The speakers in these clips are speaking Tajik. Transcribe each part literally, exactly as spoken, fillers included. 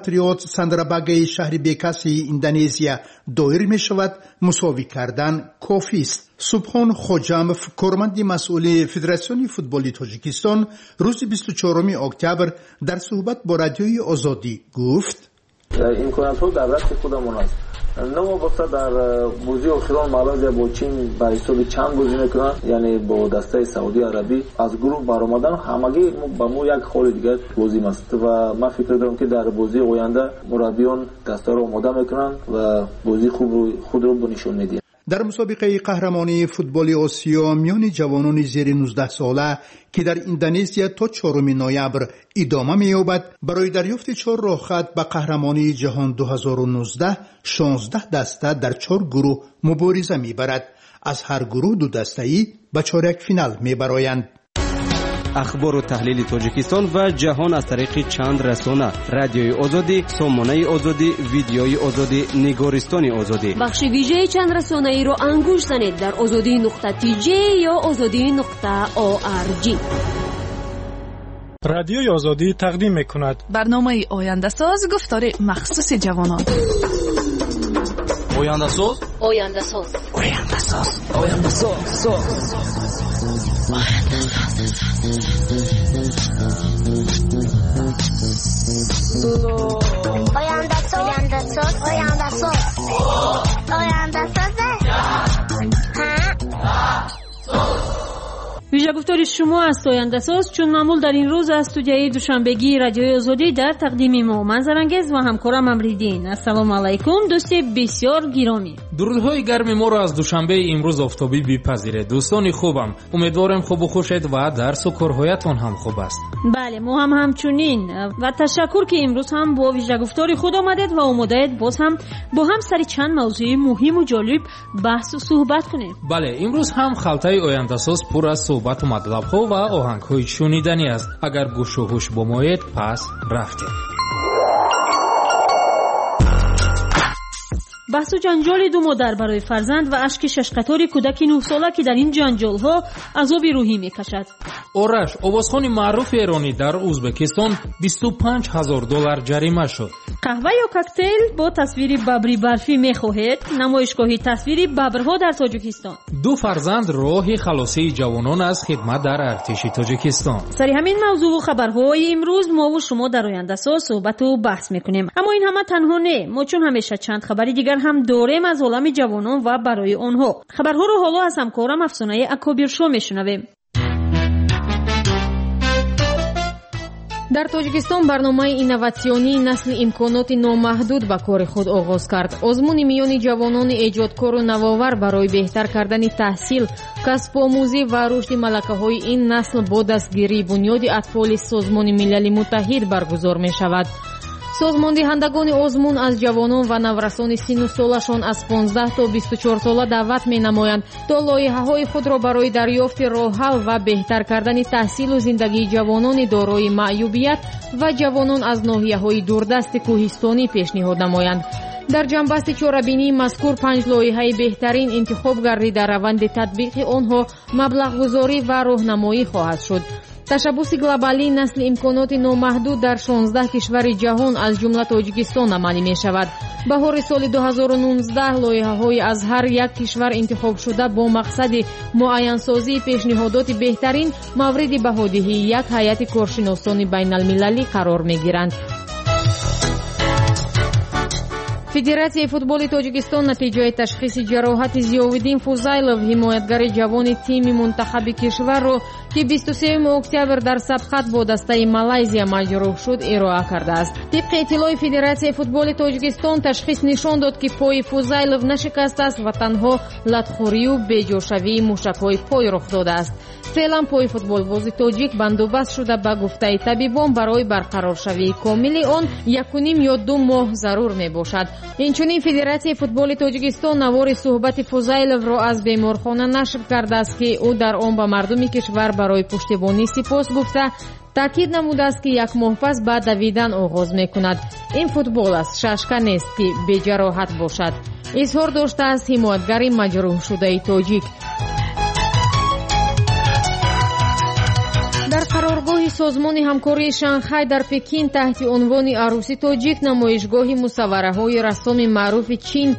Патриот Сандрабагаи шаҳри Бекаси Индонезия доир мешавад, мусовӣ кардан кофист. Субҳон Хоҷамов, корманди масъули Федератсиони футболи Тоҷикистон, рӯзи бисту чоруми октябр дар суҳбат бо Радиои Озодӣ гуфт: имкониятҳо дар дасти худамон аст. Новобаста дар бозии охирон Малайзия бо Чин ба ҳисоби чанд бозӣ мекунанд, яъне бо дастаи Саудии Арабӣ аз гурӯҳ баромадан ҳамагӣ ба мо як холи дигар лозим аст ва ман фикр дорам, ки дар бозии оянда мураббиён дастаро омода мекунанд ва бозии худро нишон медиҳанд. Дар мусобиқаи қаҳрамонии футболи Осиё миёни ҷавонони зери нуздаҳ сола, ки дар Индонезия то чоруми ноябр идома меёбад, барои дарёфти чор роҳхат ба қаҳрамонии ҷаҳон ду ҳазору нуздаҳ шонздаҳ даста дар чор гурӯҳ мубориза мебарад. Аз ҳар гурӯҳ ду дастаӣ ба чорякфинал мебароянд. Ахбору таҳлили Тоҷикистон ва ҷаҳон аз тариқи чанд расона: Радиои Озодӣ, Сомонаи Озодӣ, Видеои Озодӣ, Нигористони Озодӣ. Бахши вижаи чанд расонаиро ангушт занед дар озодӣ нуқта тж ё озодӣ нуқта орг. Радиои Озодӣ тақдим мекунад барномаи ояндасоз, гуфтори махсуси ҷавонон. Ояндасоз, ояндасоз, ояндасоз, ояндасоз, ояндасоз, ояндасоз, ояндасоз, ояндасоз. Вижагуфтори шумо аст ояндасоз, чун маъмул дар ин рӯз аз студияи душанбегии Радиои Озодӣ дар тақдими мо Манзарангез ва ҳамкорам Амриддин. Ассалому алайкум, дӯсти бисёр гиромӣ. Дурудҳои гарми моро аз душанбеи имрӯз офтобӣ бипазиред, дӯстони хубам. Умедворем хубу хушед ва дарсу корҳоятон ҳам хуб аст. Бале, мо ҳам ҳамчунин ва ташаккур, ки имрӯз ҳам бо вижагуфтори худ омадед ва омодаед боз ҳам бо ҳам сари чанд мавзӯи муҳиму ҷолиб баҳсу суҳбат кунем. Бале, имрӯз ҳам халтаи ояндасоз пур аз суҳбату матлабҳо ва оҳангҳои шуниданӣ аст. Агар гӯшу ҳуш бомоед, пас рафтем. Баҳсу ҷанҷоли ду модар барои фарзанд ва ашки шашқатори кӯдаки нӯҳсола, ки дар ин ҷанҷолҳо азоби рӯҳӣ мекашад. Ораш, овозхони маъруфи эронӣ, дар Ӯзбекистон бисту панҷ ҳазор доллар ҷарима шуд. Қаҳва ё коктейл бо тасвири бабри барфӣ мехоҳед? Намоишгоҳи тасвири бабрҳо дар Тоҷикистон. Ду фарзанд роҳи халосии ҷавонон аз хидмат дар артиши Тоҷикистон. Сари ҳамин мавзӯъу хабарҳои имрӯз мову шумо дар ояндасоз суҳбату баҳс мекунем. Аммо ин ҳама танҳо не, мо чун ҳамеша чанд хабари дигар ҳам дорем аз олами ҷавонон ва барои онҳо. Хабарҳоро ҳоло аз ҳамкорам Афсонаи Акобиршо мешунавем. Дар Тоҷикистон барномаи инноватсионии насли имконоти номаҳдуд ба кори худ оғоз кард. Озмуни миёни ҷавонони эҷодкору навовар барои беҳтар кардани таҳсил, касбомӯзӣ ва рушди малакаҳои ин насл бо дастгирии Бунёди атфоли Созмони Милали Муттаҳид баргузор мешавад. Созмондиҳандагони озмун аз ҷавонон ва наврасони синну солашон аз понздаҳ то бисту чор сола даъват менамоянд, то лоиҳаҳои худро барои дарёфти роҳҳал ва беҳтар кардани таҳсилу зиндагии ҷавонони дорои маъюбият ва ҷавонон аз ноҳияҳои дурдасти кӯҳистонӣ пешниҳод намоянд. Дар ҷанбасти чорабинии мазкур панҷ лоиҳаи беҳтарин интихоб гардида, раванди татбиқи онҳо маблағгузорӣ ва роҳнамоӣ хоҳад шуд. Ташаббуси глобалии насли имконоти номаҳдуд дар шонздаҳ кишвари ҷаҳон аз ҷумла Тоҷикистон амалӣ мешавад. Баҳори соли ду ҳазору нуздаҳ лоиҳаҳои аз ҳар як кишвар интихобшуда бо мақсади муайянсозии пешниҳодоти беҳтарин мавриди баҳодиҳии як ҳайати коршиносони байналмилалӣ қарор мегиранд. Федератсияи футболи Тоҷикистон натиҷаи ташхиси ҷароҳати Зиёвиддин Фузайлов, ҳимоятгари ҷавони тими мунтахаби кишварро, ки бисту сеюми октябр дар сабқат бо дастаи Малайзия маҷрӯҳ шуд, ироа кардааст. Тибқи иттилои Федератсияи футболи Тоҷикистон, ташхис нишон дод, ки пои Фузайлов нашикастааст ва танҳо латхӯрию беҷошавии мушакҳои пой рух додааст. Феълан пои футболбози тоҷик бандубаст шуда, ба гуфтаи табибон барои барқароршавии комили он якуним ё ду моҳ зарур мебошад. Инчунин Федератсияи футболи Тоҷикистон навори суҳбати Фузайловро аз беморхона нашр кардааст, ки ӯ дар он ба мардуми кишвар барои пуштибонӣ сипос гуфта, таъкид намудааст, ки як моҳ пас ба давидан оғоз мекунад. Ин футбол аст, шашка нест, ки беҷароҳат бошад, изҳор доштааст ҳимоятгари маҷрӯҳшудаи тоҷик. Дар қароргоҳи Намоишгоҳи Созмони ҳамкории Шанхай дар Пекин таҳти унвони Арӯси тоҷик намоишгоҳи мусаввараҳои рассоми маъруфи Чин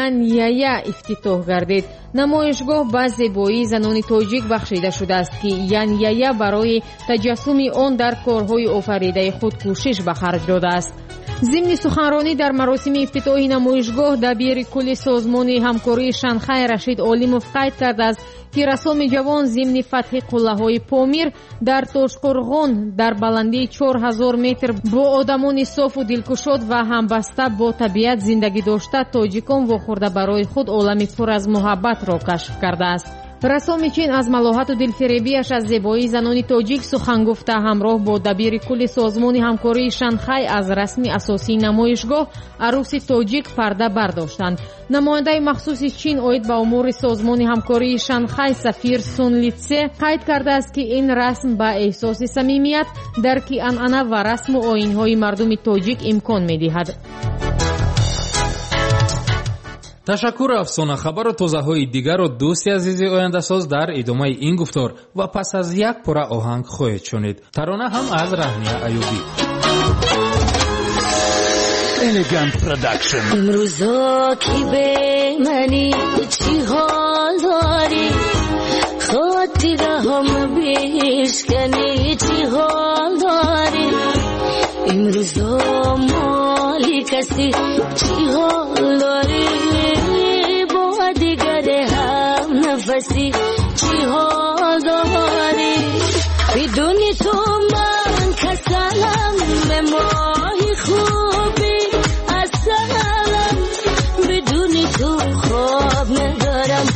Ян Яя ифтитоҳ гардид. Намоишгоҳ ба зебоии занони тоҷик бахшида шудааст, ки Ян Яя барои таҷассуми он дар корҳои офаридаи худ кӯшиш ба харҷ додааст. Зимни суханронӣ дар маросими ифтитоҳи намоишгоҳ дабири кулли Созмони ҳамкории Шанхай Рашид Олимов қайд кардааст, ки рассоми ҷавон зимни фатҳи қуллаҳои Помир дар Тошқурғон дар баландии чор ҳазор метр бо одамони софу дилкушод ва ҳамбаста бо табиат зиндагӣ дошта тоҷикон вохӯрда барои худ олами пур аз муҳаббатро кашф кардааст. Рассоми Чин аз малоҳату дилфиребиаш аз зебоии занони тоҷик сухан гуфта ҳамроҳ бо дабири кулли Созмони ҳамкории Шанхай аз расми асосии намоишгоҳ Арӯси тоҷик парда бардоштанд. Намояндаи махсуси Чин оид ба умури Созмони ҳамкории Шанхай сафир Сун Литсе қайд кардааст, ки ин расм ба эҳсоси самимият, дарки анъана ва расму оинҳои мардуми тоҷик имкон медиҳад. Ташаккур Афсона. Хабару тозаҳои дигарро дӯсти азизи ояндасоз дар идомаи ин гуфтор ва пас аз як пора оҳанг хоҳед шунид. Тарона ҳам аз Раҳмия Аюбӣ. Elegant Production. امروزا کی به منی چی حال داری، خاطره هم بشکنی چی حال داری، امروزا مالی کسی چی حال داری، با دیگر هم نفسی چی حال داری، بدون تو من کسلم به ماهی خوبی اصلم، بدون تو خواب ندارم،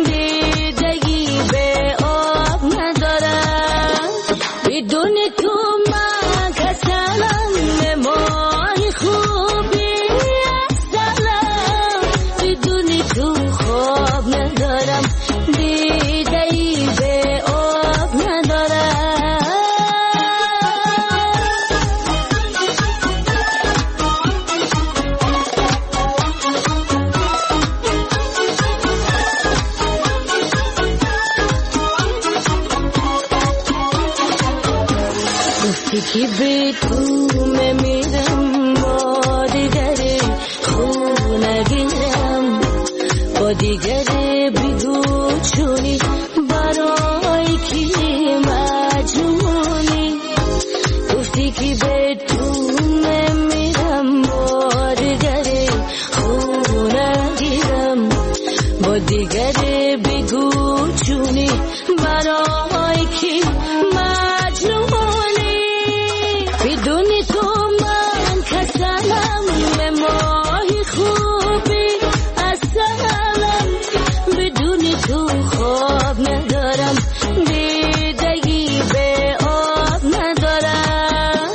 دیدگی به آب ندارم، بدون تو من کسلم به ماهی خوبی اصلم، بدون تو خواب ندارم، دیدگی به آب ندارم. گفتی که به تو میمیرم، با دیگر خونه گیرم، با دیگر بگو چونی برای کی مجنونی، گفتی که به تو میمیرم، با دیگر خونه گیرم، با دیگر بگو چونی برای کی مجنونی، بدون تو من کسلم به ماهی خوبی اصلم، بدون تو خواب ندارم، دیدگی به آب ندارم.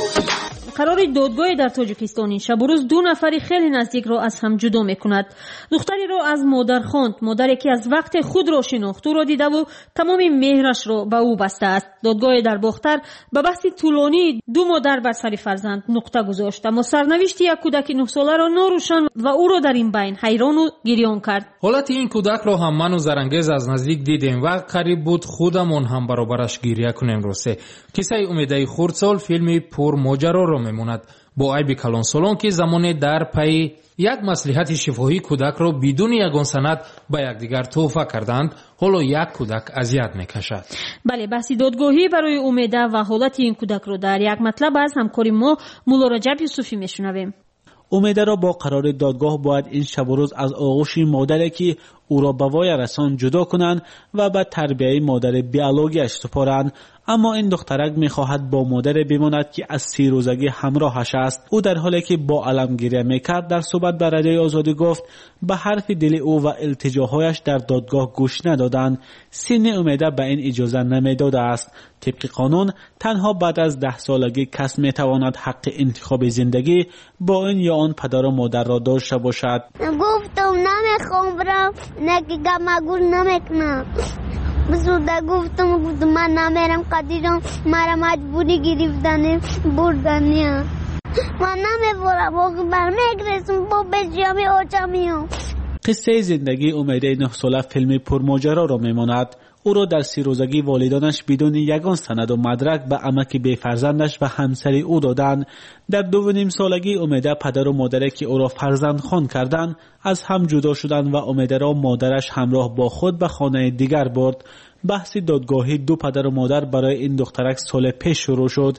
Қарори додгоҳе дар Тоҷикистон ин шабу рӯз ду нафари хеле наздикро аз ҳам ҷудо мекунад. Духтареро аз модар хонд, модаре ки аз вақте худро шинохт ӯро дидаву тамоми меҳрашро ба ӯ бастааст. Додгоҳе дар Бохтар ба баҳси тӯлонии ду модар бар сари фарзанд нуқта гузошт, аммо сарнавишти як кӯдаки нӯҳсоларо норӯшан ва ӯро дар ин байн ҳайрону гирён кард. Ҳолати ин кӯдакро ҳам ману Зарангез аз наздик дидем ва қариб буд худамон ҳам баробараш гиря кунем. Росте қиссаи Умедаи хурдсол филми пурмоҷароро мемонад бо айби калонсолон, ки замоне дар пайи як маслиҳати шифоҳӣ кӯдакро бидуни ягон санад ба якдигар тӯҳфа карданд. Ҳоло як кӯдак азият мекашад. Бале, баҳси додгоҳӣ барои Умеда ва ҳолати ин кӯдакро дар як матлаб аз ҳамкори мо Мулло Раҷаб Юсуфӣ мешунавем. Умедаро бо қарори додгоҳ бояд ин шабу рӯз аз оғӯши модаре ки ӯро ба воя расон ҷудо кунанд ва ба тарбияи модари биологияш супоранд. Аммо ин духтарак мехоҳад бо модаре бимонад ки аз си рӯзагӣ ҳамроҳаш аст. Ӯ дар ҳоле ки бо алам гиря мекард дар суҳбат ба Радиои Озодӣ гуфт ба ҳарфи дили ӯ ва илтиҷоҳояш дар додгоҳ гӯш надоданд. Синни Умеда ба ин иҷоза намедодааст. Тибқи қонун танҳо баъд аз даҳ солагӣ кас метавонад ҳаққи интихоби зиндагӣ бо ин ё он падару модарро дошта бошад. Гуфтам намехоҳам барам, не ки гамагур намекунам. Бузурга гуфтам, гуфтам ман намерам қадирам, мара маҷбурӣ гирифтани бурдания. Ман намебурам, бар мегресам, бо беҷами очамиём. Қиссаи зиндагии Умедаи нӯҳсола филми пурмоҷароро мемонад. Ӯро дар си рӯзагӣ волидонаш бидуни ягон санаду мадрак ба амаки бефарзандаш ва ҳамсари ӯ доданд. Дар дуву ним солагӣ Умеда падару модаре ки ӯро фарзандхон карданд аз ҳам ҷудо шуданд ва Умедаро модараш ҳамроҳ бо худ ба хонаи дигар бурд. Баҳси додгоҳӣ ду падару модар барои ин духтарак соли пеш шурӯъ шуд,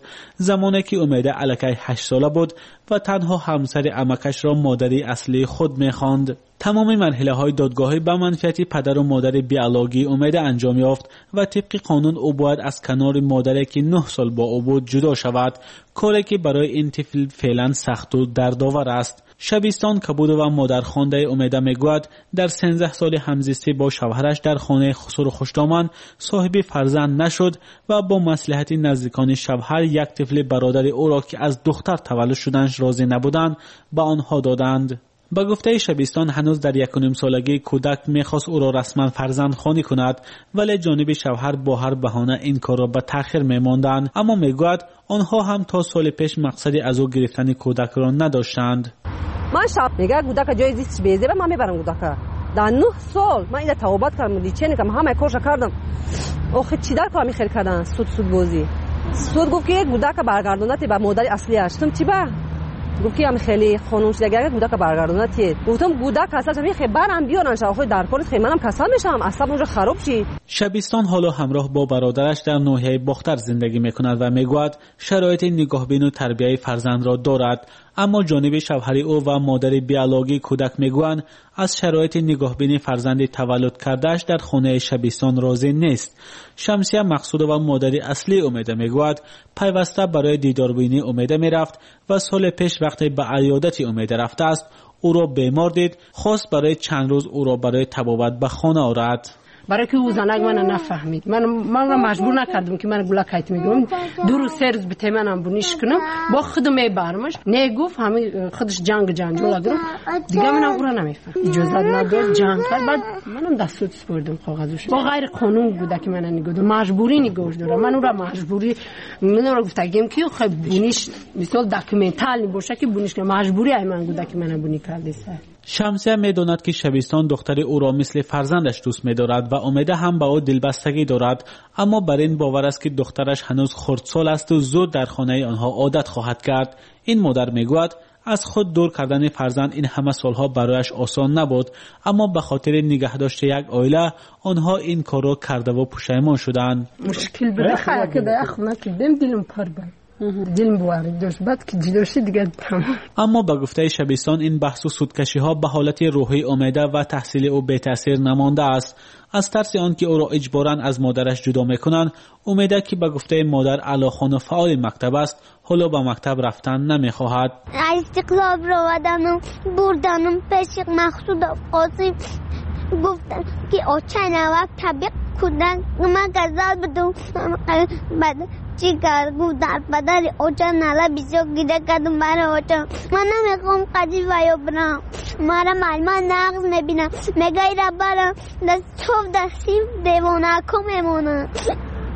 замоне ки Умеда аллакай ҳашт сола буд ва танҳо ҳамсари амакашро модари аслии худ мехонд. Тамоми марҳилаҳои додгоҳӣ ба манфиати падару модари биологии Умеда анҷом ёфт ва тибқи қонун ӯ бояд аз канори модаре ки нӯҳ сол бо ӯ буд ҷудо шавад, коре ки барои ин тифл феълан сахту дардовар аст. Шабистон Кабудова, модархондаи Умеда, мегӯяд дар сенздаҳ соли ҳамзистӣ бо шавҳараш дар хонаи Хусуру Хушдоман соҳиби фарзанд нашуд ва бо маслиҳати наздикони шавҳар як тифли бародари ӯро ки аз духтар таваллуд шуданаш розӣ набуданд ба онҳо доданд. Ба гуфтаи Шабистон ҳанӯз дар якуним солагӣ кӯдак мехост ӯро расман фарзандхонӣ кунад, вале ҷониби шавҳар бо ҳар баҳона ин корро ба таъхир мемонданд. Аммо мегӯяд онҳо ҳам то соли пеш мақсади аз ӯ гирифтани кӯдакро надоштанд. Ман шаб мега кӯдака ҷои зистиш безеба, ман мебарам кӯдака. Дар нӯҳ сол ман ина тавобат кардам, лечение кардам, ҳамаи корша кардам. Охир чӣ дар кор мехел кардан? Суд судбозӣ. Суд гуфт ки кӯдака баргардонати ба модари аслиаш. Тум чӣ ба? Гуфт ки ам хеле қонун шуда, агар кӯдака баргардонати. Гуфтам кӯдак касал шава, мехе барам биёран шава, охир дар кор хе манам касал мешавам, асаб онҷо хароб ши. Шабистон ҳоло ҳамроҳ бо бародараш дар ноҳияи Бохтар зиндагӣ мекунад ва мегӯяд шароити нигоҳбину тарбияи фарзандро дорад. Аммо ҷониби шавҳари ӯ ва модари биологии кӯдак мегӯянд аз шароити нигоҳбини фарзанди таваллуд кардааш дар хонаи Шабистон розӣ нест. Шамсия Мақсудова, модари аслии Умеда, мегӯяд пайваста барои дидорбинии Умеда мерафт ва соли пеш вақте ба аёдати Умеда рафтааст ӯро бемор дид, хост барои чанд рӯз ӯро барои табобат ба хона орад. Барои ки ӯ занак мана нафаҳмид. Ман манро маҷбур накардам ки ман гула кайт мегӯям. Ду рӯз се рӯз бите манам буниш кунам, бо худам мебармаш. Не гуфт, ҳами худаш ҷанг ҷанҷола гирифт. Дига манам ӯро намефаҳм. Иҷозат надод, ҷанг кард. Баъд манам дар суд супурдам коғазаш. Бо ғайри қонун буда ки мана нигоҳ дорам. Маҷбурӣ нигоҳ дорам. Ман ӯро маҷбурӣ, ман ӯро гуфтагим ки хай буниш мисол документал боша ки буниш кунам. Маҷбурӣ ай ман гуда ки мана буни кардеса. Шамсия медонад ки Шабистон духтари ӯро мисли фарзандаш дӯст медорад ва Умеда ҳам ба ӯ дилбастагӣ дорад, аммо бар ин бовар аст ки духтараш ҳанӯз хурдсол аст ва зуд дар хонаи онҳо одат хоҳад кард. Ин модар мегӯяд аз худ дур кардани фарзанд ин ҳама солҳо барояш осон набуд, аммо ба хотири нигаҳдошти як оила онҳо ин корро кардаву пушаймон шуданд. Мушкил буда, ки дар як хона ки дидем дилам пур буд. Дилм боварӣ дошт, баъд ки ҷудо шуд дигар тамом. Аммо ба гуфтаи Шабистон ин баҳсу судкашиҳо ба ҳолати рӯҳии Умеда ва таҳсили ӯ бетаъсир намондааст. Аз тарси он ки ӯро иҷборан аз модараш ҷудо мекунанд, Умеда ки ба гуфтаи модар аълохону фаъоли мактаб аст, ҳоло ба мактаб рафтан намехоҳад. Аз Истиқлол роваданум, бурданум пеши Мақсудов Қосим, гуфтам ки оча навак табиқ кӯдак ман касал будум. Баъд чӣ кард? Гуфт дар падари оча нала бисёр гиря кардум барои оча. Ман намехоҳам қади ваё бирам. Мара муаллима нағз мебинам. Мега ира барам дар соф дар синф девонако мемонам.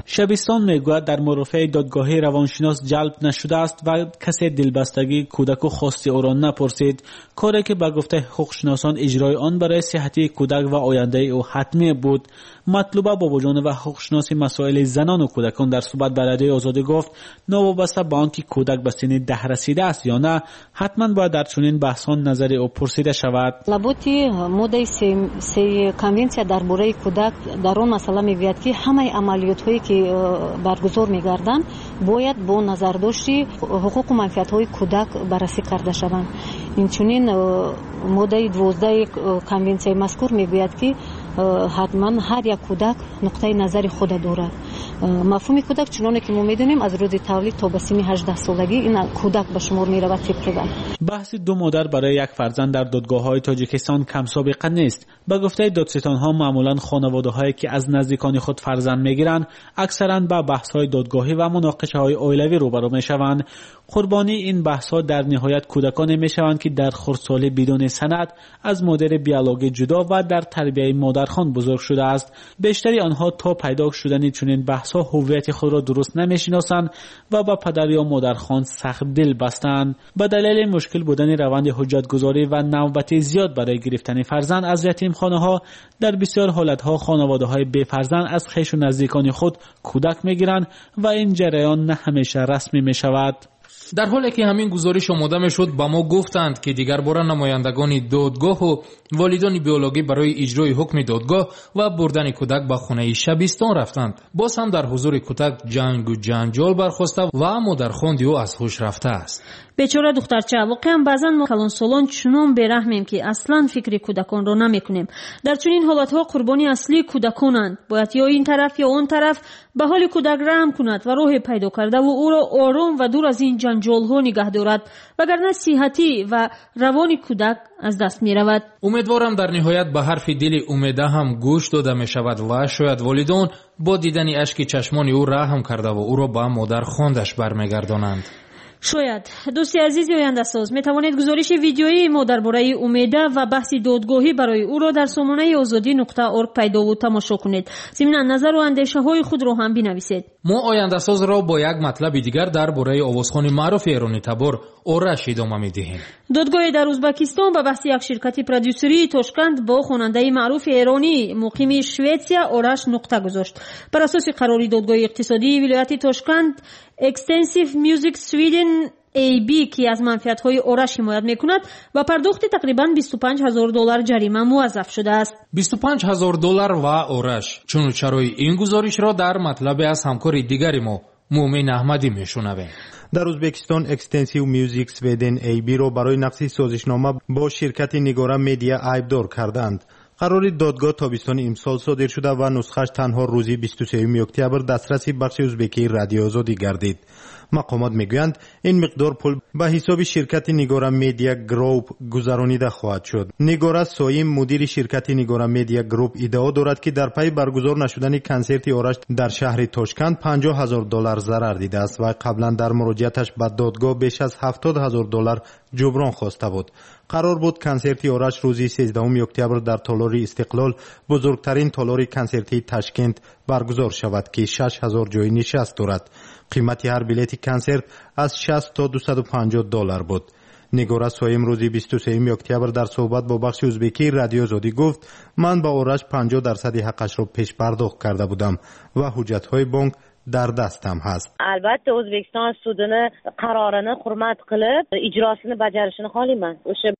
Шабистон мегӯяд дар мурофиаи додгоҳӣ равоншинос ҷалб нашудааст ва касе дилбастагии кӯдаку хости ӯро напурсид, коре ки ба гуфтаи ҳуқуқшиносон иҷрои он барои сиҳатии кӯдак ва ояндаи ӯ ҳатмӣ буд. Матлуба Бобоҷонова, ҳуқуқшиноси масоили занону кӯдакон, дар суҳбат ба Радиои Озодӣ гуфт новобаста ба он ки кӯдак ба синни даҳ расидааст ё на, ҳатман бояд дар чунин баҳсҳо назари ӯ пурсида шавад. Талаботи моддаи сеи конвенсия дар бораи кӯдак дар он масъала мегӯяд ки ҳамаи амалиётҳое ки баргузор мегарданд бояд бо назардошти ҳуқуқу манфиатҳои кӯдак баррасӣ карда шаванд. Инчунин моддаи дувоздаҳи конвенсияи мазкур мегӯяд ки ҳатман ҳар як кӯдак нуқтаи назари худа дорад. Мафҳуми кӯдак чуноне ки мо медонем аз рӯзи тавлид то ба синни ҳаждаҳсолагӣ ин кӯдак ба шумор меравад тибқи вай. Баҳси ду модар барои як фарзанд дар додгоҳҳои Тоҷикистон камсобиқа нест. Ба гуфтаи додситонҳо маъмулан хонаводаҳое ки аз наздикони худ фарзанд мегиранд аксаран ба баҳсҳои додгоҳӣ ва муноқишаҳои оилавӣ рӯбарӯ мешаванд. Қурбонии ин баҳсҳо дар ниҳоят кӯдаконе мешаванд, ки дар хурдсолӣ бидуни санад аз модари биологӣ ҷудо ва дар тарбияи модархон бузург шудааст. Бештари онҳо то пайдо шудани чунин баҳсҳо ҳувияти худро дуруст намешиносанд ва ба падар ё модархон сахт дил бастанд. Ба далели мушкил будани раванди ҳуҷҷатгузорӣ ва навбати зиёд барои гирифтани фарзанд аз ятимхонаҳо, дар бисёр ҳолатҳо хонаводаҳои бефарзанд аз хешу наздикони худ кӯдак мегиранд ва ин ҷараён на ҳамеша расмӣ мешавад. Дар ҳоле ки ҳамин гузориш омода мешуд, ба мо гуфтанд, ки дигарбора намояндагони додгоҳу волидони биологӣ барои иҷрои ҳукми додгоҳ ва бурдани кӯдак ба хонаи шабистон рафтанд. Боз ҳам дар ҳузури кӯдак ҷангу ҷанҷол бархоста ва модархонди ӯ аз ҳуш рафтааст. Бечора духтарча, воқеан баъзан мо калонсолон чунон бераҳмем, ки аслан фикри кӯдаконро намекунем. Дар чунин ҳолатҳо қурбони аслӣ кӯдаконанд. Бояд ё ин тараф ё он тараф ба ҳоли кӯдак раҳм кунад ва роҳе пайдо кардаву ӯро ором ва дур аз ин ҷанҷолҳо нигаҳ дорад, вагарна сиҳатӣ ва равони кӯдак аз даст меравад. Умедворам дар ниҳоят ба ҳарфи дили Умеда ҳам гӯш дода мешавад ва шояд волидон бо дидани ашки чашмони ӯ раҳм кардаву ӯро ба модархондаш бармегардонанд. Шояд. Дӯсти азизи ояндасоз, метавонед гузориши видеоии мо дар бораи Умеда ва баҳси додгоҳӣ барои ӯро дар сомонаи озодӣ нуқта орг пайдову тамошо кунед. Зимнан назару андешаҳои худро ҳам бинависед. Мо ояндасозро бо як матлаби дигар дар бораи овозхони маъруфи эронӣ табор Ораш идома медиҳем. Додгоҳе дар Ӯзбекистон ба баҳси як ширкати продюсерии Тошканд бо хонандаи маъруфи эронӣ муқими Шветсия Ораш нуқта гузошт. Бар асоси қарори додгоҳи иқтисодии вилояти Тошканд, Extensive Music Sweden эй би, ки аз манфиатҳои Ораш ҳимоят мекунад, ба пардохти тақрибан бисту панҷ ҳазор доллар ҷарима муваззаф шудааст. бисту панҷ ҳазор доллар ва Ораш. Чуну чарои ин гузоришро дар матлабе аз ҳамкори дигари мо Муъмин Аҳмадӣ мешунавем. Дар Ӯзбекистон Extensive Music Sweden эй би-ро барои нақзи созишнома бо ширкати Нигора Медиа айбдор карданд. Қарори додгоҳ тобистони имсол содир шуда ва нусхааш танҳо рӯзи бисту сеюми октябр дастраси бахши ӯзбекии Радиои Озодӣ гардид. Мақомот мегӯянд, ин миқдор пул ба ҳисоби ширкати Нигора Медиа Груп гузаронида хоҳад шуд. Нигора Соим, мудири ширкати Нигора Медиа Груп, иддао дорад, ки дар пайи баргузор нашудани консерти Ораш дар шаҳри Тошканд панҷоҳ ҳазор доллар зарар дидааст ва қаблан дар муроҷиаташ ба додгоҳ беш аз ҳафтод ҳазор доллар ҷуброн хоста буд. Қарор буд консерти Ораш рӯзи сездаҳуми октябр дар толори Истиқлол, бузургтарин толори консертии Ташкент, баргузор шавад, ки шаш ҳазор ҷои нишаст дорад. Қимати ҳар билети консерт аз шаст то дусаду панҷоҳ доллар буд. Нигора Соим рӯзи бисту сеюми октябр дар суҳбат бо бахши ӯзбекии Радиои Озодӣ гуфт: ман ба Ораш панҷоҳ дарсади ҳаққашро пешпардохт карда будам ва ҳуҷҷатҳои бонк дар дастам ҳаст. Albatta, O'zbekiston sudini qarorini hurmat qilib, ijrosini bajarishini xohlayman. O'sha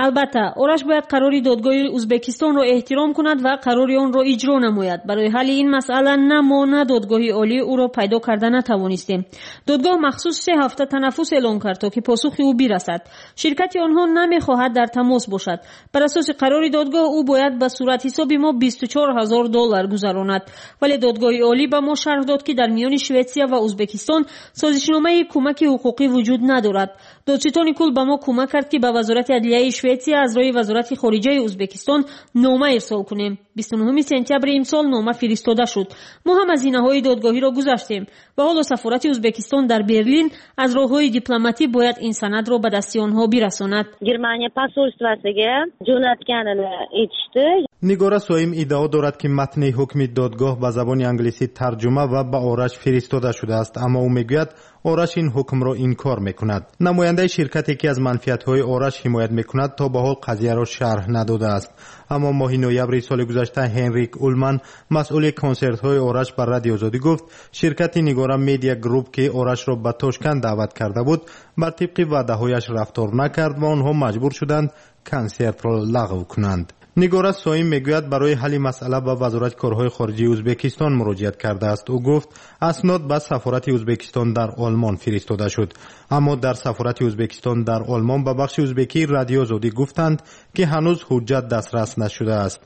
Албатта, Ораш бояд қарори додгоҳи Ӯзбекистонро эҳтиром кунад ва қарори онро иҷро намояд. Барои ҳалли ин масъала на мо, на додгоҳи олӣ ӯро пайдо карда натавонистем. Додгоҳ махсус се ҳафта танаффус эълон кард, то ки посухи ӯ бирасад. Ширкати онҳо намехоҳад дар тамос бошад. Бар асоси қарори додгоҳ ӯ бояд ба суратҳисоби мо бисту чор ҳазор доллар гузаронад. Вале додгоҳи олӣ ба мо шарҳ дод, ки дар миёни Шветсия ва Ӯзбекистон созишномаи кӯмаки ҳуқуқӣ вуҷуд надорад. Додситони кул ба мо кӯмак кард, ки ба Вазорати адлияи Шветсия аз роҳи Вазорати хориҷаи Ӯзбекистон нома ирсол кунем. бисту нуҳуми сентябри имсол нома фиристода шуд. Мо ҳам ҳазинаҳои додгоҳиро гузаштем ва ҳоло сафорати Ӯзбекистон дар Берлин аз роҳҳои дипломатӣ бояд ин санадро ба дасти онҳо бирасонад. Germaniya посольствosiga jo'natganini aytishdi. Нигора Соим иддао дорад, ки матни ҳукми додгоҳ ба забони англисӣ тарҷума ва ба Ораш фиристода шудааст, аммо ӯ мегӯяд Ораш ин ҳукмро инкор мекунад. Намояндаи ширкате, ки аз манфиатҳои Ораш ҳимоят мекунад, то ба ҳол қазияро шарҳ надодааст. Аммо моҳи ноябри соли гузашта Ҳенрик Улман, масъули консертҳои Ораш, ба Радиои Озодӣ гуфт, ширкати Нигора Медиа Груп, ки Орашро ба Тошканд даъват карда буд, бар тибқи ваъдаҳояш рафтор накард ва онҳо маҷбур шуданд консертро лағв кунанд. Нигора Соим мегӯяд, барои ҳалли масъала ба Вазорати корҳои хориҷии Ӯзбекистон муроҷиат кардааст. Ӯ гуфт, аснод ба сафорати Ӯзбекистон дар Олмон фиристода шуд. Аммо дар сафорати Ӯзбекистон дар Олмон ба бахши ӯзбекии Радиои Озодӣ гуфтанд, ки ҳанӯз ҳуҷҷат дастрас нашудааст.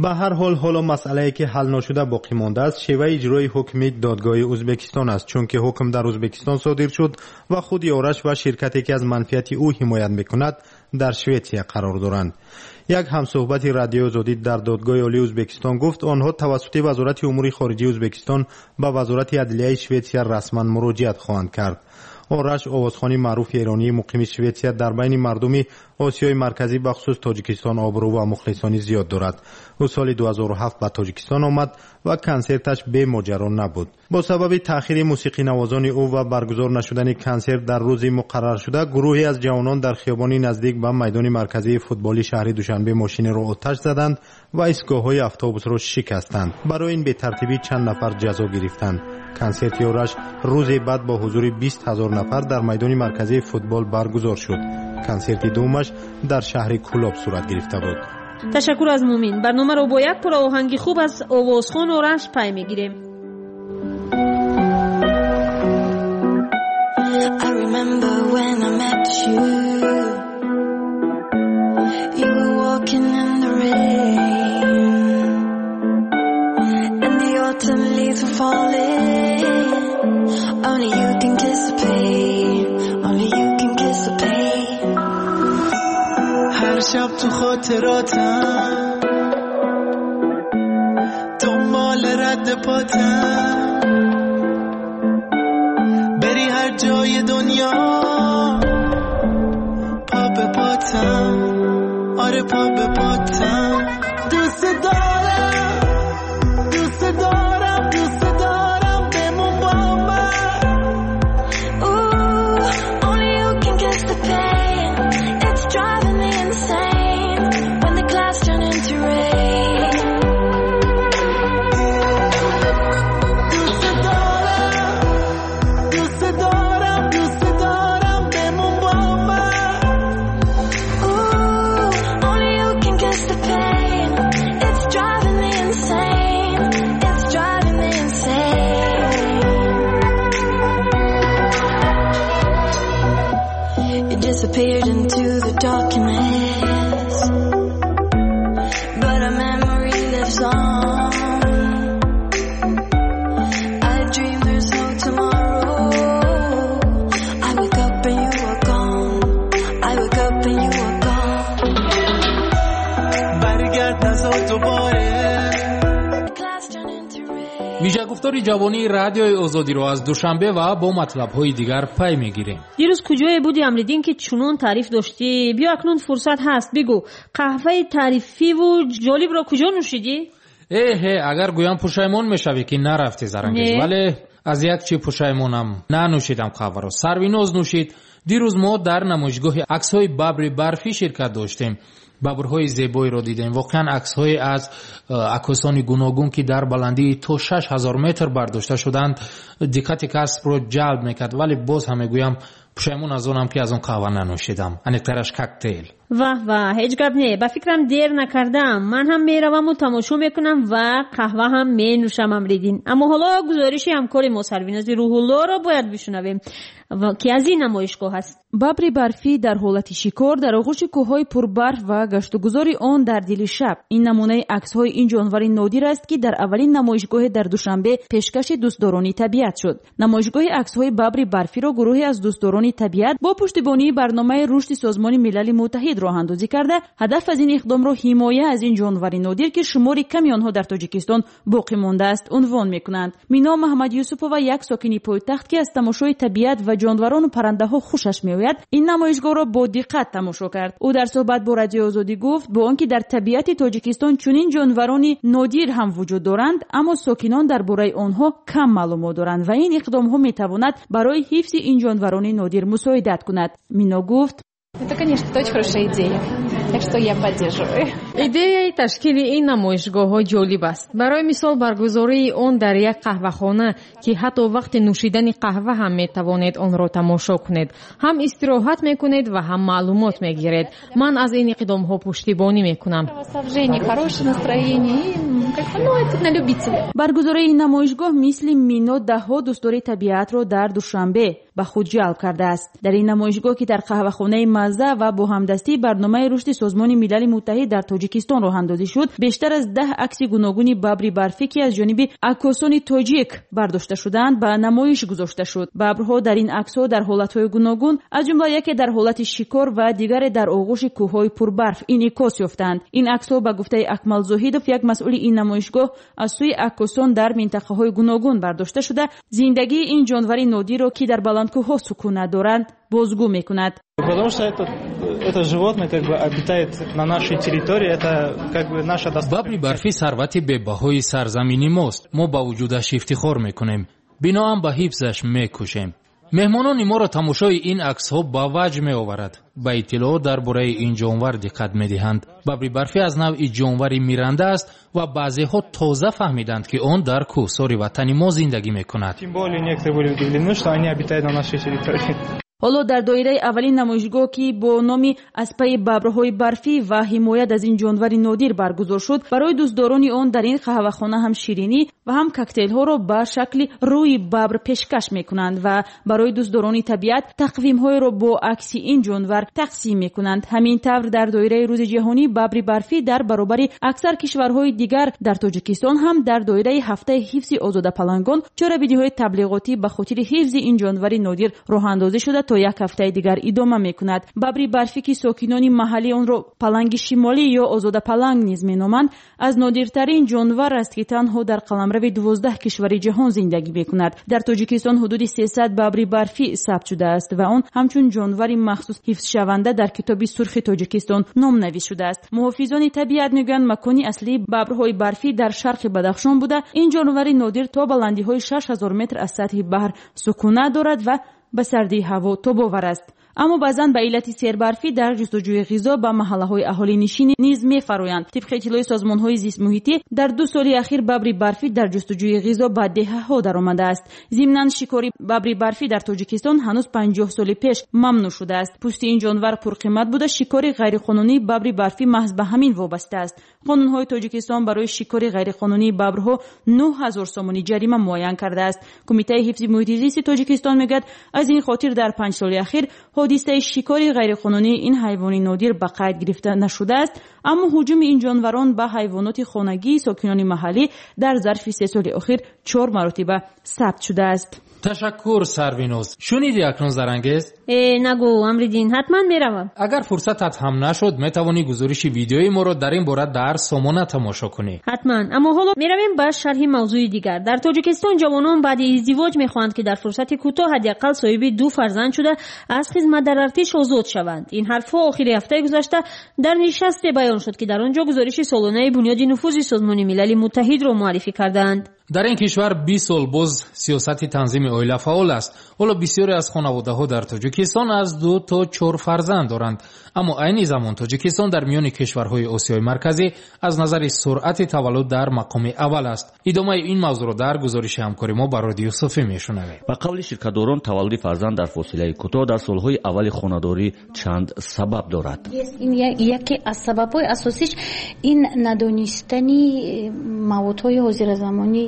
Ба ҳар ҳол, ҳоло масъалае, ки ҳал ношуда боқӣ мондааст, шеваи иҷрои ҳукми додгоҳи Ӯзбекистон аст, чунки ҳукм дар Ӯзбекистон содир шуд ва худи Ораш ва ширкате, ки аз манфиати ӯ ҳимоят мекунад, дар Шветсия қарор доранд. Як ҳамсуҳбати Радиои Озодӣ дар додгоҳи олии Ӯзбекистон гуфт, онҳо тавассути Вазорати умури хориҷии Ӯзбекистон ба Вазорати адлияи Шветсия расман муроҷиат хоҳанд кард. Ораш, овозхони маъруфи эронии муқими Шветсия, дар байни мардуми Осиёи Марказӣ, бахусус Тоҷикистон, обрӯ ва мухлисони зиёд дорад. Ӯ соли ду ҳазору ҳафт ба Тоҷикистон омад ва консерташ бемоҷаро набуд. Бо сабаби таъхири мусиқинавозони ӯ ва баргузор нашудани консерт дар рӯзи муқарраршуда, гурӯҳе аз ҷавонон дар хиёбони наздик ба майдони марказии футболи шаҳри Душанбе мошинеро оташ заданд ва истгоҳҳои автобусро шикастанд. Барои ин бетартибӣ чанд нафар ҷазо гирифтанд. Консерти Ораш рӯзе баъд бо ҳузури бист ҳазор нафар дар майдони марказии футбол баргузор шуд. Консерти дуюмаш дар шаҳри Кӯлоб сурат гирифта буд. Ташаккур аз Мумин. Барномаро бо як пора оҳанги хуб аз овозхон Ораш пай мегирем. I remember when I met you, you were walking in the rain, and the autumn leaves were falling. Only you can kiss the pain, only you can kiss the pain. هر شب تو خاطراتم دنبال رد پاتم، بری هر جای دنیا پا به پاتم، آره پا به پاتم. دوست دارم، دوست دارم، دوست دارم، بمون با من. Ooh, only you can kiss the pain. It's driving me insane when the clouds turn into rain. دوست دارم، دوست دارم، دوست دارم، بمون با من. Ooh, only you can kiss the pain. It's driving me insane. It's driving me insane. You disappeared into the darkness, but a memory lives on. I dream there's no tomorrow. I wake up and you are gone. I wake up and you are gone. برگرد نزار دوباره. Clouds turn into rain. Вижагуфтори ҷавонии радиои Озодиро аз Душанбе ва бо матлабҳои дигар пай мегирем. Дирӯз куҷое буди, Амриддин, ки чунон таъриф доштӣ? Биё, акнун фурсат ҳаст, бигӯ, қаҳваи таърифиву ҷолибро куҷо нӯшидӣ? Эҳе, агар гӯям пушаймон мешавӣ, ки нарафтӣ, Зарангез. Не. Вале аз як чӣ пушаймонам: нанӯшидам қаҳваро. Сарвиноз нӯшид. Дирӯз мо дар намоишгоҳи аксҳои бабри барфӣ ширкат доштем. Бабрҳои зебоеро дидем. Воқеан аксҳое аз аккосони гуногун, ки дар баландии то шаш ҳазор метр бардошта шуданд, диққати касбро ҷалб мекард. Вале боз ҳам мегӯям, пушаймон аз онам, ки аз он қаҳва нанӯшидам, аниқтараш коктейл. Ваҳ ваҳ, ҳеҷ гап не, ба фикрам дер накардаам. Ман ҳам мераваму тамошо мекунам ва қаҳва ҳам менӯшам, Амриддин. Аммо ҳоло гузориши ҳамкори мо Сарвинози Рӯҳуллоро бояд бишунавем, ки аз ин намоишгоҳ аст. Бабри барфӣ дар ҳолати шикор дар оғӯши кӯҳҳои пурбарф ва гаштугузори он дар дили шаб. Ин намунаи аксҳои ин ҷонвари нодир аст, ки дар аввалин намоишгоҳе дар Душанбе пешкаши дӯстдорони табиат шуд. Намоишгоҳи аксҳои бабри барфиро гурӯҳе аз дӯстдорони табиат бо пуштибонии барномаи рушди Созмони Милали Муттаҳид роҳандозӣ карда, ҳадаф аз ин иқдомро ҳимоя аз ин ҷонвари нодир, ки шумори ками онҳо дар Тоҷикистон боқӣ мондааст, унвон мекунанд. Мино Маҳмадюсупова, як сокини пойтахт, ки аз тамошои табиат ва ҷонварону паррандаҳо хушаш меояд, ин намоишгоҳро бо диққат тамошо кард. Ӯ дар суҳбат бо Радиои Озодӣ гуфт, бо он ки дар табиати Тоҷикистон чунин ҷонварони нодир ҳам вуҷуд доранд, аммо сокинон дар бораи онҳо кам маълумот доранд ва ин иқдомҳо метавонад барои ҳифзи ин ҷонварони нодир мусоидат кунад. Мино гуфт: Это, конечно, очень хорошая идея, так что я поддерживаю. Идеяи ташкили ин намоишгоҳҳо ҷолиб аст. Барои мисол, баргузории он дар як қаҳвахона, ки ҳатто вақти нӯшидани қаҳва ҳам метавонед онро тамошо кунед, ҳам истироҳат мекунед ва ҳам маълумот мегиред. Ман аз ин иқдомҳо пуштибонӣ мекунам. Баргузории ин намоишгоҳ мисли Мино даҳҳо дӯстдори табиатро дар Душанбе ба худ ҷалб кардааст. Дар ин намоишгоҳ, ки дар қаҳвахонаи Мазза ва бо ҳамдастии барномаи рушди Созмони Милали Муттаҳид дар Тоҷикистон роҳандозӣ шуд, бештар аз даҳ акси гуногуни бабри барфӣ, ки аз ҷониби аккосони тоҷик бардошта шудаанд, ба намоиш гузошта шуд. Бабрҳо дар ин аксҳо дар ҳолатҳои гуногун, аз ҷумла яке дар ҳолати шикор ва дигаре дар оғӯши кӯҳҳои пурбарф инъикос ёфтанд. Ин аксҳо ба гуфтаи Акмал Зоҳидов, як масъули ин намоишгоҳ, аз сӯи аккосон дар минтақаҳои гуногун бардошта шуда, зиндагии ин ҷонвари нодирро, ки дар баланд баландкӯҳҳо сукунат доранд, бозгӯ мекунад. Потому что это, это животное как бы обитает на нашей территории, это как бы наша Бабри барфӣ сарвати бебаҳои сарзамини мост. Мо ба вуҷудаш ифтихор мекунем, биноан ба ҳифзаш мекӯшем. Меҳмонони моро тамошои ин аксҳо ба ваҷд меоварад. Ба иттилоот дар бораи ин ҷонвар диққат медиҳанд. Бабри барфӣ аз навъи ҷонвари миранда аст ва баъзеҳо тоза фаҳмиданд, ки он дар кӯҳсори ватани мо зиндагӣ мекунад. Тем более некоторые были удивлены, что они обитают на нашей территории. Ҳоло дар доираи аввалин намоишгоҳ, ки бо номи «Аз пайи бабрҳои барфӣ ва ҳимоят аз ин ҷонвари нодир» баргузор шуд, барои дӯстдорони он дар ин қаҳвахона ҳам ширинӣ ва ҳам коктейлҳоро ба шакли рӯи бабр пешкаш мекунанд ва барои дӯстдорони табиат тақвимҳоеро бо акси ин ҷонвар тақсим мекунанд. Ҳамин тавр, дар доираи Рӯзи ҷаҳонии бабри барфӣ дар баробари аксар кишварҳои дигар дар Тоҷикистон ҳам дар доираи ҳафтаи ҳифзи озодапалангон чорабиниҳои таблиғотӣ ба хотири ҳифзи ин ҷонвари нодир роҳандозӣ шуда то як ҳафтаи дигар идома мекунад. Бабри барфӣ, ки сокинони маҳаллӣ онро паланги шимолӣ ё озодапаланг низ меноманд, аз нодиртарин ҷонвар аст, ки танҳо дар қаламрави дувоздаҳ кишвари ҷаҳон зиндагӣ мекунад. Дар Тоҷикистон ҳудуди сесад бабри барфӣ сабт шудааст ва он ҳамчун ҷонвари махсус ҳифзшаванда дар Китоби сурхи Тоҷикистон номнавис шудааст. Муҳофизони табиат мегӯянд, макони аслии бабрҳои барфӣ дар шарқи Бадахшон буда, ин ҷонвари нодир то баландиҳои шаш ҳазор метр аз сатҳи баҳр сукунат дорад ва ба сардии ҳаво тобовар аст. Аммо баъзан ба иллати сербарфӣ дар ҷустуҷӯи ғизо ба маҳаллаҳои аҳолинишинӣ низ мефароянд. Тибқи иттилои созмонҳои зистмуҳитӣ, дар ду соли ахир бабри барфӣ дар ҷустуҷӯи ғизо ба деҳаҳо даромадааст. Зимнан, шикори бабри барфӣ дар Тоҷикистон ҳанӯз панҷоҳ соли пеш мамнӯъ шудааст. Пӯсти ин ҷонвар пурқимат буда, шикори ғайриқонунии бабри барфӣ маҳз ба ҳамин вобаста аст. Қонунҳои Тоҷикистон барои шикори ғайриқонунии бабрҳо нӯҳ ҳазор сомонӣ ҷарима муайян кардааст. Кумитаи ҳифзи муҳити зисти Тоҷикистон мегӯяд, аз ин хотир дар панҷ соли ахир ҳодисаи шикори ғайриқонунии ин ҳайвони нодир ба қайд гирифта нашудааст, аммо ҳуҷуми ин ҷонварон ба ҳайвоноти хонагии сокинони маҳаллӣ дар зарфи се соли охир чор маротиба сабт шудааст. Ташаккур, Сарвиноз. Шуниди акнун, Зарангез? Э, нагӯ, Амриддин, ҳатман меравам. Агар фурсатат ҳам нашуд, метавонӣ гузориши видеои моро дар ин бора дар сомона тамошо кунӣ. Ҳатман. Аммо ҳоло меравем ба шарҳи мавзӯи дигар. Дар Тоҷикистон ҷавонон баъди издивоҷ мехоҳанд, ки дар фурсати кӯтоҳ ҳадди ақал соҳиби ду фарзанд шуда, аз хизмат дар артиш озод шаванд. Ин ҳарфҳо охири ҳафтаи гузашта дар нишасте баён шуд, ки дар он ҷо гузориши солонаи Бунёди нуфузи Созмони Милали Муттаҳидро муаррифӣ кардаанд. Дар ин кишвар бист сол боз сиёсати танзими оила фаъол аст. Ҳоло бисёре аз хонаводаҳо дар Тоҷикистон аз ду то чор фарзанд доранд. Аммо айни замон Тоҷикистон дар миёни кишварҳои Осиёи Марказӣ аз назари суръати таваллуд дар мақоми аввал аст. Идомаи ин мавзӯъро дар гузориши ҳамкори мо Бароди Юсуфӣ мешунавед. Ба қавли ширкатдорон, таваллуди фарзанд дар фосилаи кӯтоҳ дар солҳои аввали хонадорӣ чанд сабаб дорад. Ин яке аз сабабҳои асосиш ин надонистани маводҳои ҳозиразамонӣ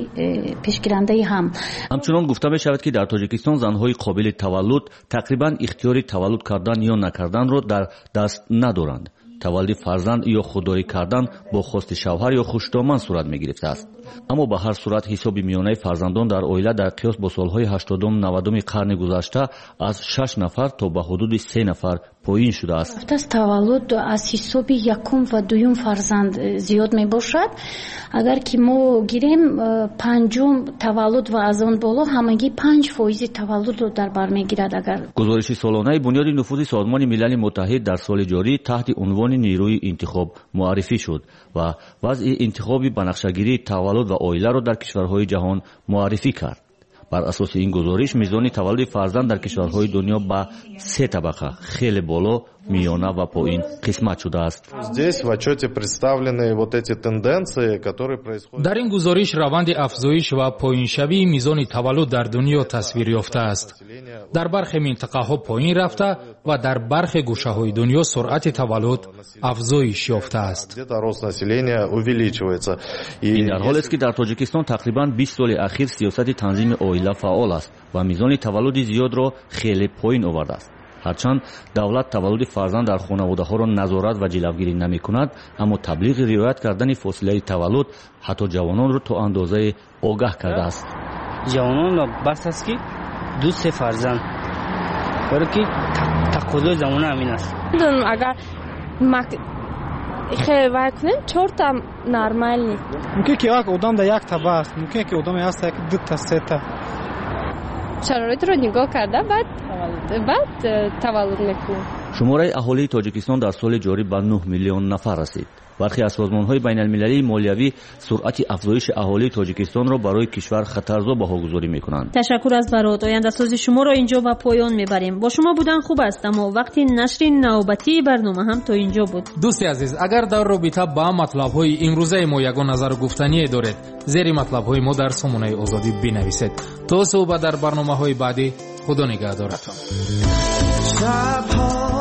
пешгирандаи ҳам. Ҳамчунон гуфта мешавад, ки дар Тоҷикистон занҳои қобили таваллуд тақрибан ихтиёри таваллуд кардан ё накарданро дар даст надоранд. Таваллуди фарзанд ё худдорӣ кардан бо хости шавҳар ё хушдоман сурат мегирифтааст. Аммо ба ҳар сурат ҳисоби миёнаи фарзандон дар оила дар қиёс бо солҳои ҳаштодум навадуми қарни гузашта аз шаш нафар то ба ҳудуди се нафар поин шудааст. Таваллуд аз ҳисоби якум ва дуюм фарзанд зиёд мебошад. Агар ки мо гирем панҷум таваллуд ва аз он боло, ҳамагӣ панҷ фоизи таваллудро дар бар мегирад. Агар гузориши солонаи Бунёди нуфузи Созмони Милали Муттаҳид дар соли ҷорӣ таҳти унвони нерӯи интихоб муаррифӣ шуд ва вазъи интихоби банақшагирии таваллуд ва оиларо дар кишварҳои ҷаҳон муаррифӣ кард. Бар асоси ин гузориш, мизони таваллуди фарзанд дар кишварҳои дунё ба се табақа хеле боло, миёна ва поин қисмат шудааст. Дар ин гузориш раванди афзоиш ва поиншавии мизони таваллуд дар дунё тасвир ёфтааст. Дар бархе минтақаҳо поин рафта ва дар бархе гӯшаҳои дунё суръати таваллуд афзоиш ёфтааст. Ин дар ҳолест, ки дар Тоҷикистон тақрибан бист соли ахир сиёсати танзими оила фаъол аст ва мизони таваллуди зиёдро хеле поин овардааст. Ҳарчанд давлат таваллуди фарзанд дар хонаводаҳоро назорат ва ҷилавгирӣ намекунад, аммо таблиғи риоят кардани фосилаи таваллуд ҳатто ҷавононро то андозае огаҳ кардааст. Ҷавононро бас аст, ки ду се фарзанд, баро ки тақозои замона ҳамин аст. Агар хеле вай кунем, чорта нормальный. Мумкин ки як одам да якта бас, мумкин ки одаме ҳаст як дута, сета. Шароитро нигоҳ карда, баъд баъд таваллуд мекунем. Шумораи аҳолии Тоҷикистон дар соли ҷорӣ ба нӯҳ миллион нафар расид. Бархе аз созмонҳои байналмилалии молиявӣ суръати афзоиши аҳолии Тоҷикистонро барои кишвар хатарзо баҳогузорӣ мекунанд. Ташаккур аз Барот. Ояндасози шуморо инҷо ба поён мебарем. Бо шумо будан хуб аст, аммо вақти нашри навбатии барнома ҳам то инҷо буд. Дӯсти азиз, агар дар робита ба матлабҳои имрӯзаи мо ягон назару гуфтание доред, зери матлабҳои мо дар сомонаи Озодӣ бинависед. То суҳбат дар барномаҳои баъдӣ, Худо нигаҳдоратон. Шабҳо